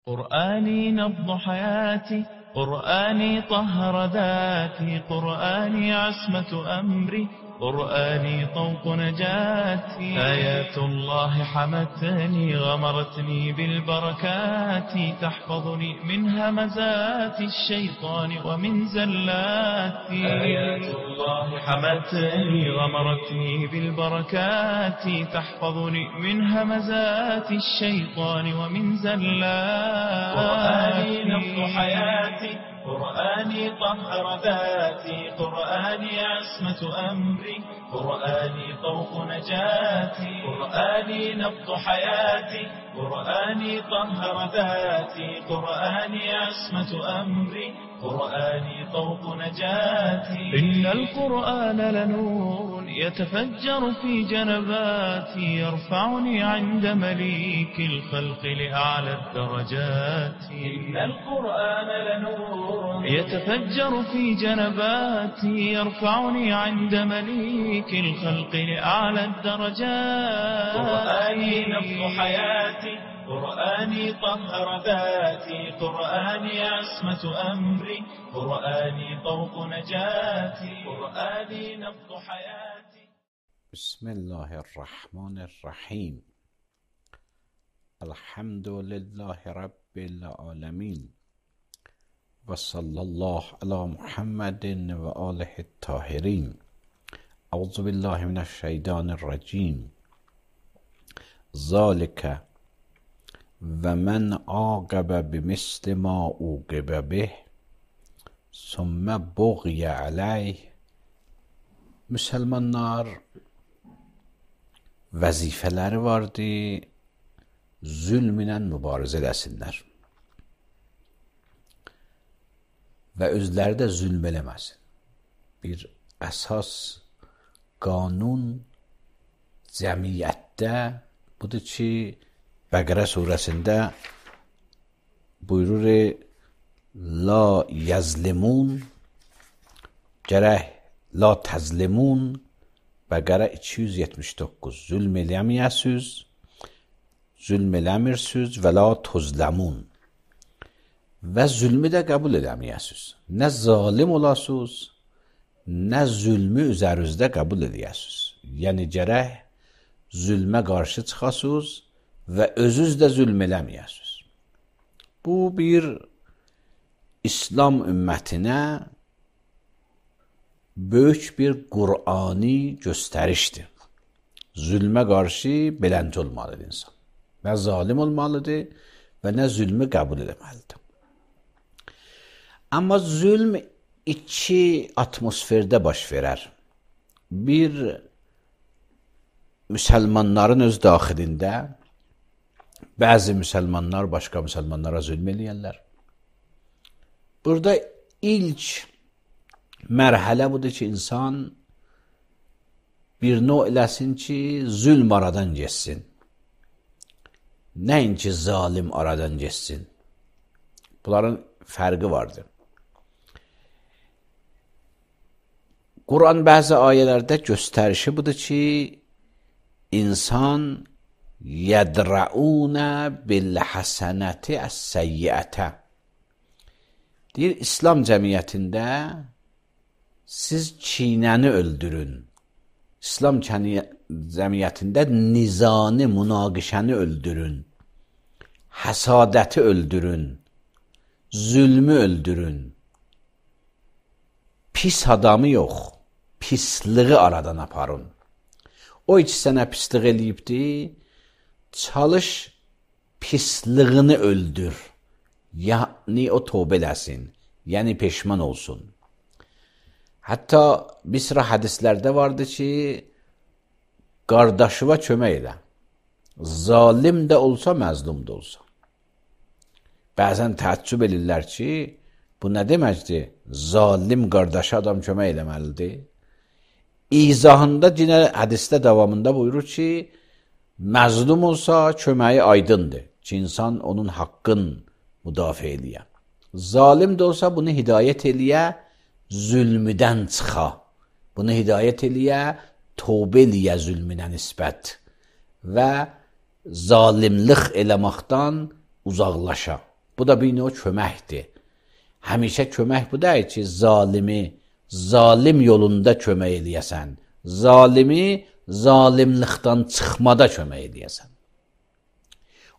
قرآني نبض حياتي، قرآني طهر ذاتي، قرآني عصمة أمري، قرآني طوق نجاتي. آيات الله حمتني غمرتني بالبركات، تحفظني من همزات الشيطان ومن زلاتي. آيات الله حمتني غمرتني بالبركات، تحفظني من همزات الشيطان ومن زلاتي. قرآني نبض حياتي، قرآني طهر ذاتي، قرآني عصمة أمري، قرآني طوق نجاتي. قرآني نبض حياتي، قرآني طهر ذاتي، قرآني عصمة أمري، قرآني طوق نجاتي. إن القرآن لنور يتفجر في جنباتي، يرفعني عند مليك الخلق لأعلى الدرجات. إن القرآن لنور يتفجر في جنباتي، يرفعني عند مليك الخلق لأعلى الدرجات. قرآني نبض حياتي، قرآني طهر ذاتي، قرآني عصمة أمري، قرآني طوق نجاتي. قرآني نبض حياتي. بسم الله الرحمن الرحیم. الحمد لله رب العالمین و صلی الله علی محمد و آله الطاهرین. اعوذ بالله من الشیطان الرجیم. ذالک و من عاقب بمثل ما عوقب به ثم بغی علیه. Müsəlmanlar vəzifələri vardır, zülm ilə mübarizə eləsinlər və özləri də zülm eləməsin. Bir əsas qanun cəmiyyətdə budur ki, Bəqərə surəsində buyurur, la yazlimun, gərək la təzlimun. Bəqərə 279. Zülm eləməyəsiz, zülm eləmirsiniz və la tuzləmun. Və zülmü də qəbul eləməyəsiz. Nə zalim olasınız, nə zülmü üzərinizdə qəbul eləyəsiz. Yəni gərək zülmə qarşı çıxasınız və özünüz də zülm eləməyəsiz. Bu bir İslam ümmətinə böyük bir Qur'ani göstərişdir. Zülmə qarşı beləncə olmalıdır insan. Nə zalim olmalıdır və nə zülmü qəbul eləməlidir. Amma zülm iki atmosferdə baş verər. Bir, müsəlmanların öz daxilində bəzi müsəlmanlar başqa müsəlmanlara zülm eləyərlər. Burada ilk mərhələ budur ki, insan bir növ eləsin ki, zülm aradan geçsin. Nəinki zalim aradan geçsin. Bunların fərqi vardır. Quran bəzi ayələrdə göstərişi budur ki, insan yədra'unə bil-həsənəti əs-səyyiətə. Deyir, İslam cəmiyyətində siz kinəni öldürün. İslam cəmiyyətində nizanı, münaqişəni öldürün. Həsadəti öldürün. Zülmü öldürün. Pis adamı yox, pisliği aradan aparın. O iki sənə pislik eləyibdir, çalış pisliğini öldür. Yəni o tövbə eləsin, yəni peşman olsun. Hətta bir sıra hədislərdə vardı ki, qardaşıva kömək elə. Zalim də olsa, məzlum da olsa. Bəzən təəccüb edirlər ki, bu nə deməkdir? Zalim qardaşı adam kömək eləməlidir. İzahında yine hədisdə davamında buyurur ki, məzlum olsa köməyi aydındır ki, insan onun haqqın müdafiə eləyə. Zalim də olsa bunu hidayət eləyə, zülmüdən çıxa. Bunu hidayət eləyə, tövbə eləyə zülmünə nisbət və zalimlik eləməkdən uzaqlaşa. Bu da bir növ köməkdir. Həmişə kömək bu deyil ki, zalimi zalim yolunda kömək eləyəsən. Zalimi zalimlikdən çıxmada kömək eləyəsən.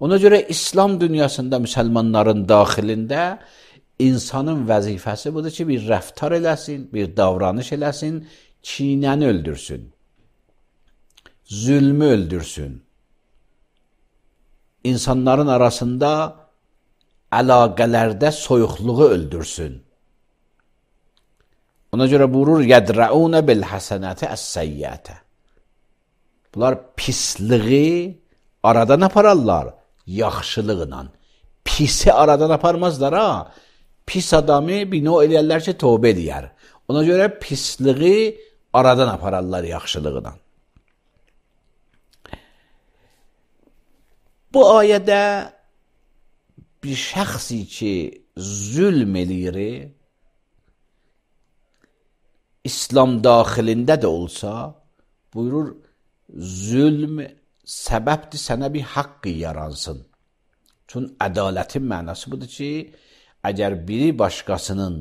Ona görə İslam dünyasında müsəlmanların daxilində insanın vəzifəsi budur ki, bir rəftar eləsin, bir davranış eləsin, kinəni öldürsün, zülmü öldürsün. İnsanların arasında əlaqələrdə soyuqluğu öldürsün. Ona görə buyurur, yədra'unə bil-həsənəti əs-səyyətə. Bunlar pisliği aradan apararlar, yaxşılıqla. Pisi aradan aparmazlar ha. Pis adamı bir növ eləyərlər ki, tövbə eləyər. Ona görə pisliği aradan apararlar yaxşılıqla. Bu ayədə bir şəxsi ki, zülm eləyir, İslam daxilində də olsa, buyurur, zülm səbəbdir sənə bir haqq yaransın. Çünki ədalətin mənası budur ki, əgər biri başqasının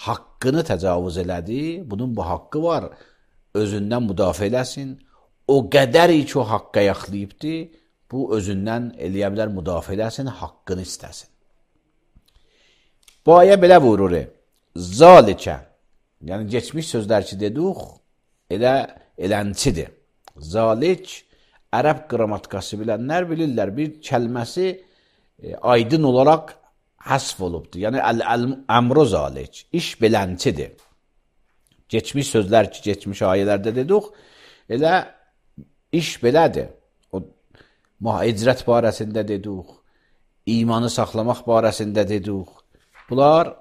haqqını təcavüz elədi, bunun bu haqqı var, özündən müdafiə eləsin. O qədər ki, o haqqa yaxlayıbdır, bu özündən eləyə bilər, müdafiə eləsin, haqqını istəsin. Bu ayə belə buyurur, zalikə, yəni geçmiş sözlər ki dedik, elənçidir. Zalik, ərəb qrammatikası bilənlər bilirlər, bir kəlməsi aydın olaraq həsf olubdur. Yəni, əmru zalik, iş belənçidir. Geçmiş sözlər ki, geçmiş ayələrdə dedik, elə iş belədir. Icrət barəsində dedik, imanı saxlamaq barəsində dedik, bunlar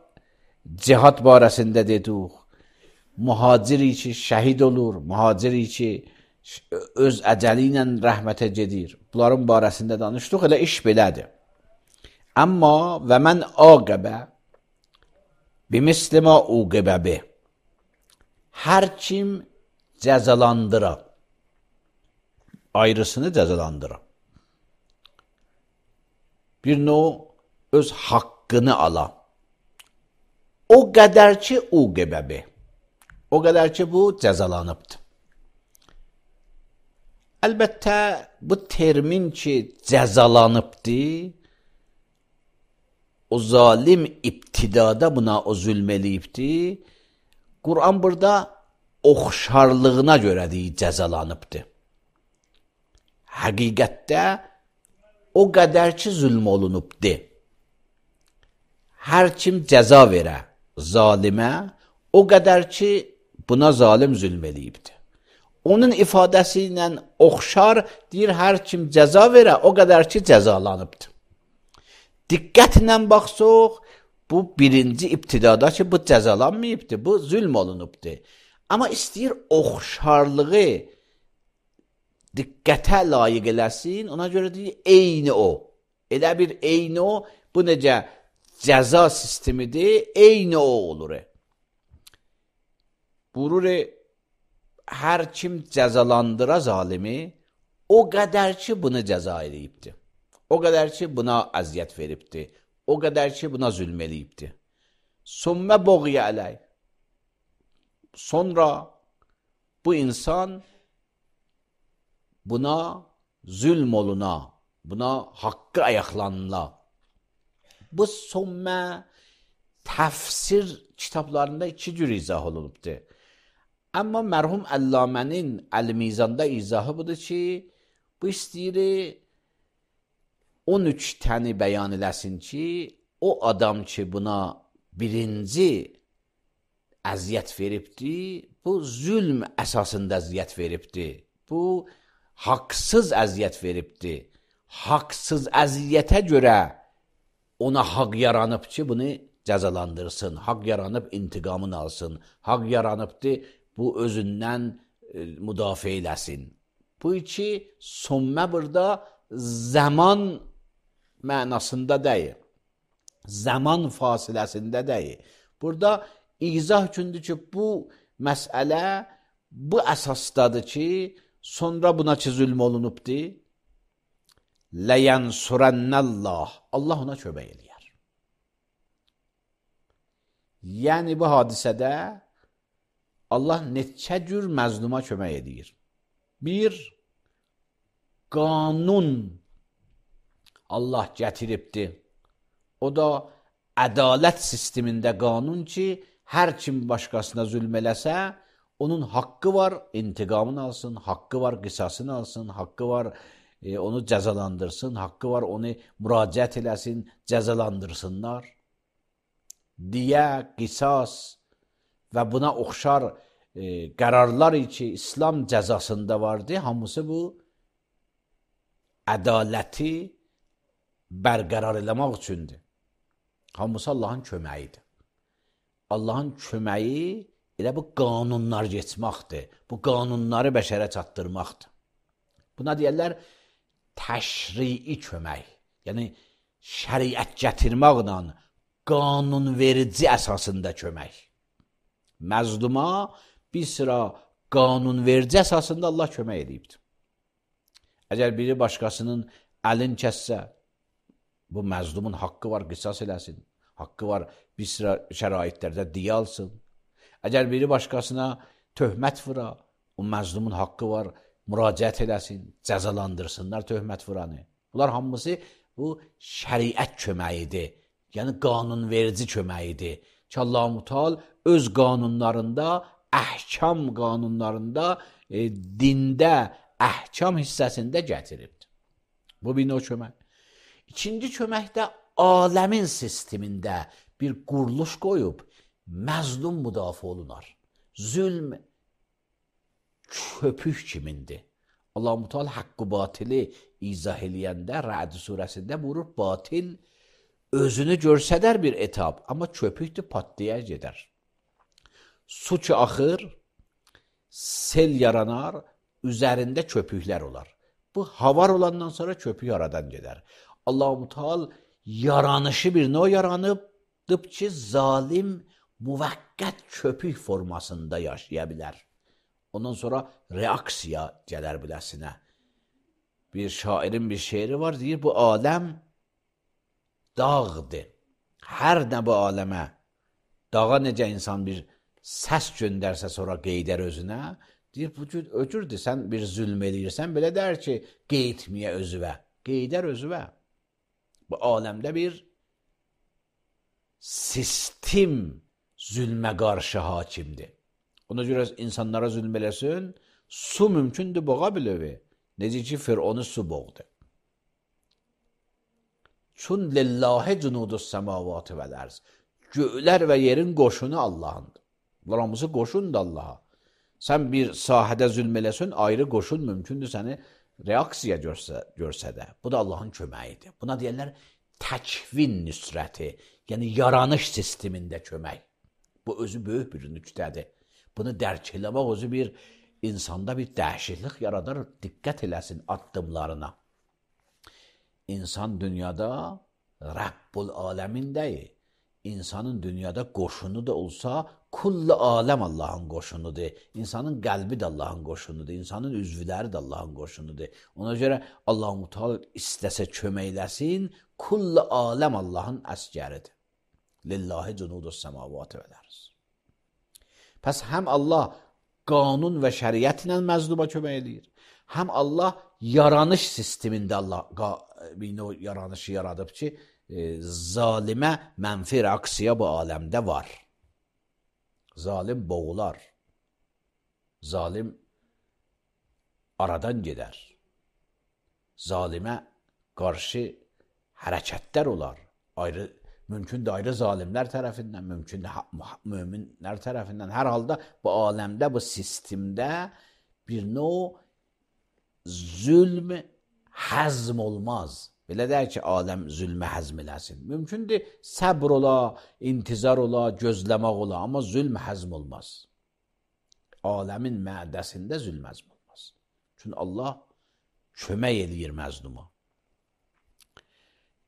cihad barəsində dedik, mühaciri ki şəhid olur, mühaciri ki öz əcəli ilə rəhmətə gedir. Bunların barəsində danışdıq, elə iş belədir. Amma və mən aqəbə bimislimə uqəbəbi, hər kim cəzalandıra, ayrısını cəzalandıra, bir növ öz haqqını ala, o qədər ki uqəbəbi, o qədər ki bu cəzalanıbdır. Əlbəttə bu termin ki cəzalanıbdır, o zalim ibtidada buna o zülm eləyibdir, Qur'an burada oxşarlığına görə deyir cəzalanıbdır. Həqiqətdə o qədər ki zülm olunubdur. Hər kim cəza verə zalimə, o qədər ki buna zalim zülm eləyibdir. Onun ifadəsi ilə oxşar deyir, hər kim cəza verə, o qədər ki cəzalanıbdır. Diqqətlə baxsaq, bu birinci ibtidada ki bu cəzalanmayıbdır, bu zülm olunubdur. Amma istəyir oxşarlığı diqqətə layiq eləsin, ona görə deyir, eyni o. Elə bir eyni o, bu necə cəza sistemidir, eyni o olur. Buyurur, hər kim cəzalandıra zalimi, o qədər ki bunu cəza eləyibdir. O qədər ki buna əziyyət veribdir. O qədər ki buna zülm eləyibdir. Sümmə boğya ələy. Sonra bu insan buna zülm oluna, buna haqqı ayaqlanına. Bu sümmə təfsir kitablarında iki cür izah olunubdur. Amma mərhum Əllamənin Əl-Mizanda izahı budur ki, bu istəyir 13 təni bəyan eləsin ki, o adam ki buna birinci əziyyət veribdir, bu zülm əsasında əziyyət veribdir. Bu haqsız əziyyət veribdir. Haqsız əziyyətə görə ona haqq yaranıb ki, bunu cəzalandırsın. Haqq yaranıb intiqamını alsın. Haqq yaranıbdır, bu özündən müdafiə eləsin. Bu iki sümmə burada zaman mənasında deyil. Zaman fasiləsində deyil. Burada izah üçündür ki, bu məsələ bu əsasdadır ki, sonra buna ki zülm olunubdur. Ləyənsurənnəllah. Allah ona kömək eləyər. Yəni bu hadisədə Allah neçə cür məzluma kömək edir. Bir, qanun Allah gətiribdir. O da ədalət sistemində qanun ki, hər kim başqasına zülm eləsə, onun haqqı var, intiqamını alsın, haqqı var, qisasını alsın, haqqı var, onu cəzalandırsın, haqqı var, onu müraciət eləsin, cəzalandırsınlar. Diyə, qisas və buna oxşar qərarlar ki, İslam cəzasında vardı, hamısı bu ədaləti bərqərar eləmək üçündür. Hamısı Allahın köməyidir. Allahın köməyi elə bu qanunlar geçməkdir. Bu qanunları bəşərə çatdırmaqdır. Buna deyərlər təşrii kömək. Yəni şəriət gətirməklə qanunverici əsasında kömək. Məzluma bir sıra qanunverici əsasında Allah kömək edibdir. Əgər biri başqasının əlin kəssə, bu məzlumun haqqı var, qisas eləsin. Haqqı var, bir sıra şəraitlərdə diyə alsın. Əgər biri başqasına töhmət vura, o məzlumun haqqı var, müraciət eləsin, cəzalandırsınlar töhmət vuranı. Bunlar hamısı bu şəriət köməyidir. Yəni qanunverici köməyidir. Ki Allah-u Teala öz qanunlarında, əhkam qanunlarında, dində, əhkam hissəsində gətiribdir. Bu bir növ kömək. İkinci kömək də aləmin sistemində bir quruluş qoyub, məzlum müdafiə olunar. Zülm köpük kimindir. Allah-u Teala haqqı batili izah eləyəndə Rə'd surəsində buyurur, batil özünü görsədər bir etab, amma köpükdür, patlayar gedər. Su ki axır, sel yaranar, üzərində köpüklər olar. Bu havar olandan sonra köpük aradan gedər. Allah-u Teala yaranışı bir növ yaranıbdır ki, zalim müvəqqət köpük formasında yaşaya bilər. Ondan sonra reaksiya gələr biləsinə. Bir şairin bir şeiri var, deyir, bu aləm dağdır. Hər nə bu aləmə, dağa necə insan bir səs göndərsə sonra qeydər özünə, deyir, bu cür öcürdür, sən bir zülm eləyirsən, belə dər ki, qeydmiyə özüvə, qeydər özüvə. Bu aləmdə bir sistem zülmə qarşı hakimdir. Ona görə insanlara zülm eləsin, su mümkündür boğa bilövi. Necə ki, Fir'onu su boğdu. Çün lillahi cunudus səmavatı vəl ərz. Göylər və yerin qoşunu Allahındır. Bunlar hamısı qoşundur Allaha. Sən bir sahədə zülm eləsin, ayrı qoşun mümkündür səni reaksiya görsə də. Bu da Allahın köməyidir. Buna deyərlər təkvin nüsrəti, yəni yaranış sistemində kömək. Bu özü böyük bir nüqtədir. Bunu dərk eləmək özü bir insanda bir dəhşətlik yaradar, diqqət eləsin addımlarına. İnsan dünyada Rəbbul aləmindəyir. İnsanın dünyada qoşunu da olsa, kullu aləm Allahın qoşunudur. İnsanın qəlbi də Allahın qoşunudur. İnsanın üzvləri də Allahın qoşunudur. Ona görə Allah-u Teala istəsə köməkləsin, kullu aləm Allahın əsgəridir. Lillahi cunudus səmavatı vəl ərz. Pəs həm Allah qanun və şəriət ilə məzluma kömək edir, həm Allah yaranış sistemində Allah bir növ yaranışı yaradıb ki, zalimə mənfi reaksiya bu aləmdə var. Zalim boğular. Zalim aradan gedər. Zalimə qarşı hərəkətlər olar. Mümkün də ayrı zalimlər tərəfindən, mümkün də möminlər tərəfindən. Hər halda bu aləmdə, bu sistemdə bir növ zülm həzm olmaz. Belə deyək ki, aləm zülmə həzm eləsin. Mümkündür səbr ola, intizar ola, gözləmək ola, amma zülm həzm olmaz. Aləmin mədəsində zülm həzm olmaz. Çünki Allah kömək eləyir məzluma.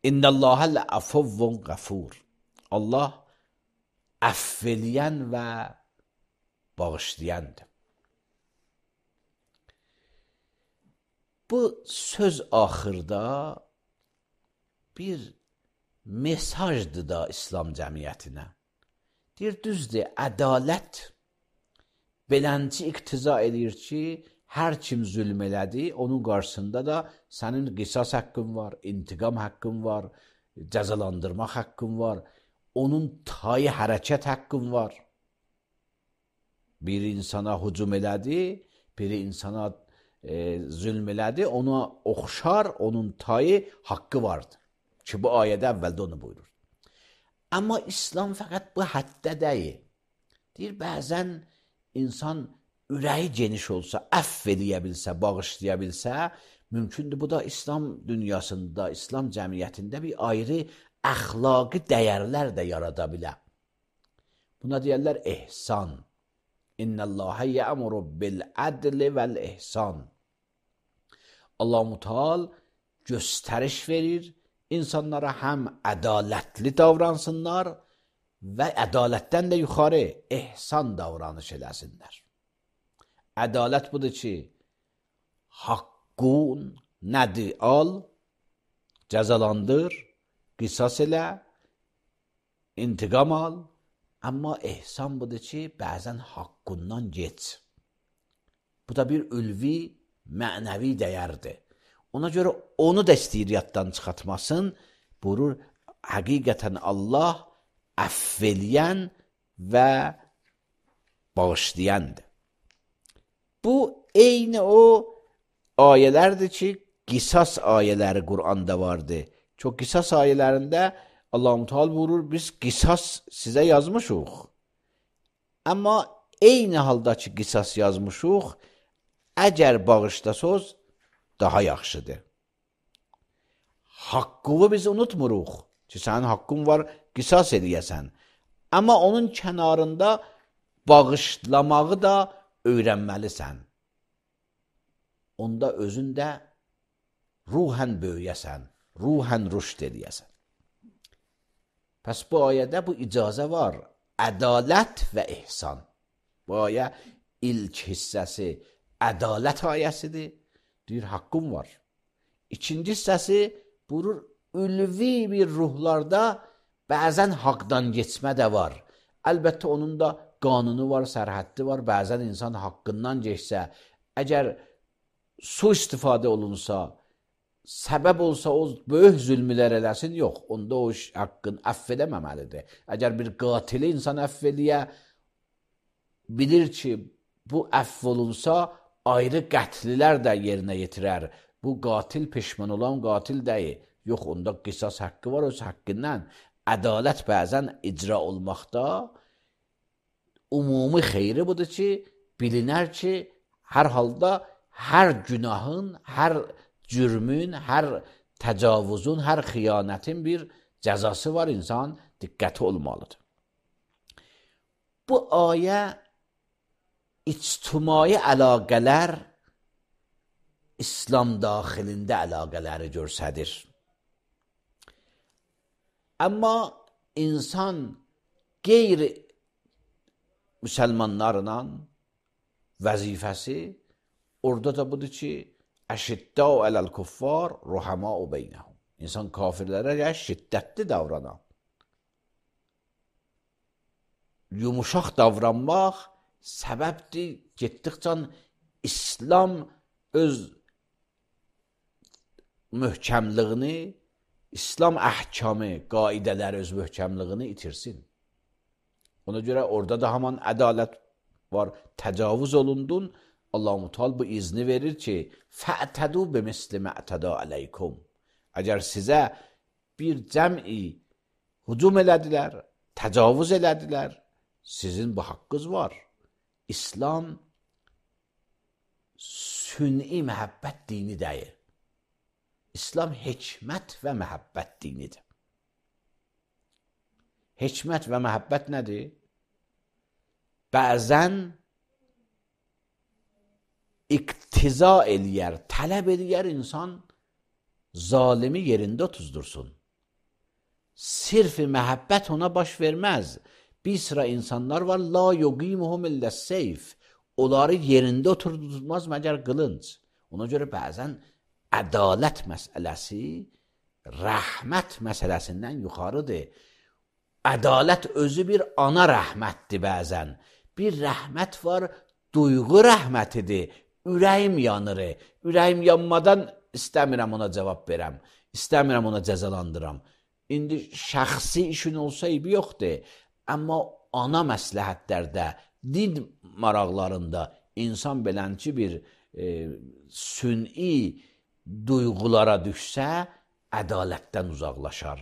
İnnəlləhə ləəfuvvun qəfur. Allah əff eləyən və bağışlayandır. Bu söz axırda bir mesajdır da İslam cəmiyyətinə. Deyir, düzdür, ədalət belənci iqtiza edir ki, hər kim zülm elədi, onun qarşısında da sənin qisas haqqın var, intiqam haqqın var, cəzalandırmaq haqqın var, onun tayı hərəkət haqqın var. Bir insana hücum elədi, biri insana zülm elədi, ona oxşar, onun tayı haqqı vardır. Ki, bu ayədə əvvəldə onu buyurur. Amma İslam fəqət bu həddə deyil. Deyir, bəzən insan ürəyi geniş olsa, əfv eləyə bilsə, bağışlaya bilsə, mümkündür. Bu da İslam dünyasında, İslam cəmiyyətində bir ayrı əxlaqi dəyərlər də yarada bilər. Buna deyərlər ehsan. İnnəlləhə yəmuru bil-ədli vəl-ehsan. Allah-u Teala göstəriş verir, insanlara həm ədalətli davransınlar və ədalətdən də yuxarı ehsan davranış eləsinlər. Ədalət budur ki, haqqun nədir al, cəzalandır, qisas elə, intiqam al. Amma ehsan budur ki, bəzən haqqundan geç. Bu da bir ülvi, mənəvi dəyərdir. Ona görə onu da istəyir yaddan çıxartmasın. Buyurur, həqiqətən Allah əfv eləyən və bağışlayandır. Bu, eyni o ayələrdir ki, qisas ayələri Qur'anda vardır. Çox qisas ayələrində Allah-u Teala buyurur, biz qisas sizə yazmışıq. Amma eyni halda ki, qisas yazmışıq, əgər bağışlasınız, daha yaxşıdır. Haqqını biz unutmuruq ki, sənin haqqın var, qisas eləyəsən. Amma onun kənarında bağışlamağı da öyrənməlisən. Onda özün də ruhən böyüyəsən, ruhən rüşd eləyəsən. Pəs bu ayədə bu icazə var. Ədalət və ehsan. Bu ayə ilk hissəsi ədalət ayəsidir. Deyir, haqqım var. İkinci hissəsi buyurur, ülvi bir ruhlarda bəzən haqdan geçmə də var. Əlbəttə onun da qanunu var, sərhəddi var. Bəzən insan haqqından geçsə, əgər su istifadə olunsa, səbəb olsa o böyük zülmülər eləsin, yox. Onda o haqqın əfv edəməməlidir. Əgər bir qatili insan əfv eləyə, bilir ki, bu əfv olunsa, ayrı qətlilər də yerinə yetirər. Bu qatil peşman olan qatil deyil. Yox, onda qisas haqqı var, öz haqqından. Ədalət bəzən icra olmaqda umumi xeyri budur ki, bilinər ki, hər halda hər günahın, hər cürmün, hər təcavüzün, hər xiyanətin bir cəzası var, insan diqqəti olmalıdır. Bu ayə ictimai əlaqələr İslam daxilində əlaqələri göstərir. Amma insan qeyri-müsəlmanlarla vəzifəsi orada da budur ki, əşiddəu ələl-kuffar, ruhəmau beynəhum. İnsan kafirlərə şiddətli davranan. Yumuşaq davranmaq səbəbdir, getdikcə İslam öz möhkəmliyini, İslam əhkamı, qaidələri öz möhkəmliyini itirsin. Ona görə orada da haman ədalət var, təcavüz olundun. Allah-u Teala bu izni verir ki, fə'tədu bimisli mə'təda aleykum. Əgər sizə bir cəm'i hücum elədilər, təcavüz elədilər, sizin bu haqqınız var. İslam sünni məhəbbət dini deyil. İslam hikmət və məhəbbət dinidir. Hikmət və məhəbbət nədir? Bəzən iqtiza eləyər, tələb eləyər insan zalimi yerində tuzdursun. Sirf-i məhəbbət ona baş verməz. Bir sıra insanlar var, la yuqimuhum illə seyf. Onları yerində oturdurmaz məgər qılınc. Ona görə bəzən ədalət məsələsi rəhmət məsələsindən yuxarıdır. ədalət özü bir ana rəhmətdir bəzən. Bir rəhmət var, duyğu rəhmətidir. Ürəyim yanır. Ürəyim yanmadan istəmirəm ona cavab verəm. İstəmirəm ona cəzalandıram. İndi şəxsi işin olsa eybi yoxdur. Amma ana məsləhətlərdə, din maraqlarında insan belənçi bir sün'i duyğulara düşsə, ədalətdən uzaqlaşar.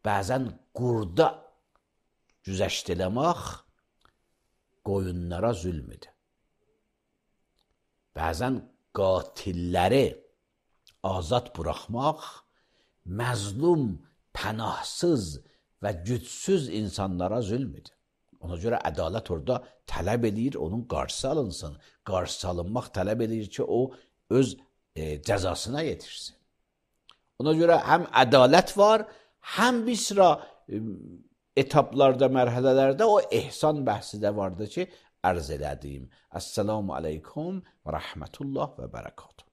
Bəzən qurda güzəşt eləmək qoyunlara zülmüdür. Bəzən qatilləri azad buraxmaq məzlum, pənahsız və gücsüz insanlara zülmüdür. Ona görə ədalət orada tələb edir, onun qarşısı alınsın. Qarşısı alınmaq tələb edir ki, o öz cəzasına yetişsin. Ona görə həm ədalət var, həm bir sıra etaplarda, mərhələlərdə o ehsan bəhsi də vardı ki, ərz elədiyim. Əssəlamu aleykum və rəhmətullah və bərəkatuhu.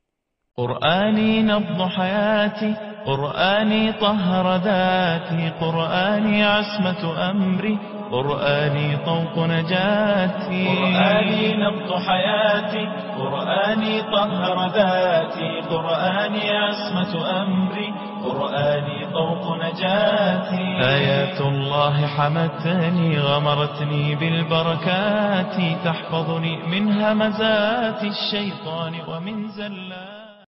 قرآني نبض حياتي، قرآني طهر ذاتي، قرآني عصمة أمري، قرآني طوق نجاتي. قرآني نبض حياتي، قرآني طهر ذاتي، قرآني عصمة أمري، قرآني طوق نجاتي. آيات الله حمتني، غمرتني بالبركات، تحفظني من همزات الشيطان ومن زلات